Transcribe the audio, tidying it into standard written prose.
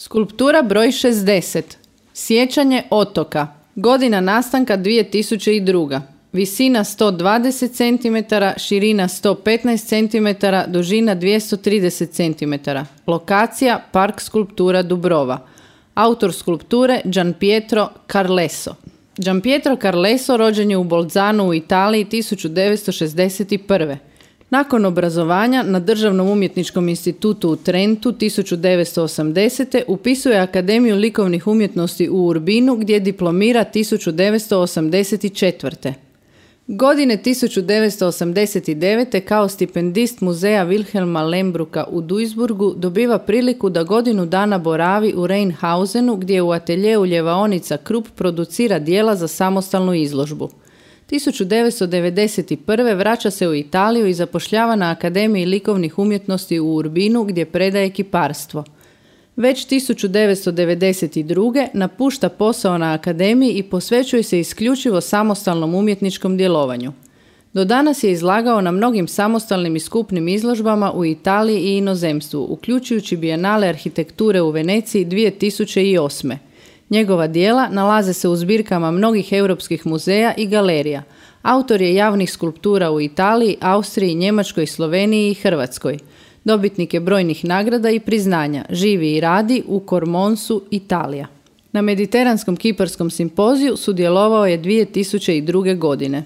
Skulptura broj 60. Sjećanje otoka. Godina nastanka 2002. Visina 120 cm, širina 115 cm, dužina 230 cm. Lokacija Park skulptura Dubrova. Autor skulpture Gianpietro Carleso. Gianpietro Carleso rođen je u Bolzanu u Italiji 1961. Nakon obrazovanja na Državnom umjetničkom institutu u Trentu 1980. upisuje Akademiju likovnih umjetnosti u Urbinu gdje diplomira 1984. Godine 1989. kao stipendist muzeja Wilhelma Lembruka u Duisburgu dobiva priliku da godinu dana boravi u Rheinhausenu gdje u ateljeu ljevaonica Krupp producira dijela za samostalnu izložbu. 1991. vraća se u Italiju i zapošljava na Akademiji likovnih umjetnosti u Urbinu gdje predaje kiparstvo. Već 1992. napušta posao na Akademiji i posvećuje se isključivo samostalnom umjetničkom djelovanju. Do danas je izlagao na mnogim samostalnim i skupnim izložbama u Italiji i inozemstvu, uključujući Bijenale arhitekture u Veneciji 2008. Njegova djela nalaze se u zbirkama mnogih europskih muzeja i galerija. Autor je javnih skulptura u Italiji, Austriji, Njemačkoj, Sloveniji i Hrvatskoj. Dobitnik je brojnih nagrada i priznanja. Živi i radi u Kormonsu, Italija. Na Mediteranskom kiparskom simpoziju sudjelovao je 2002. godine.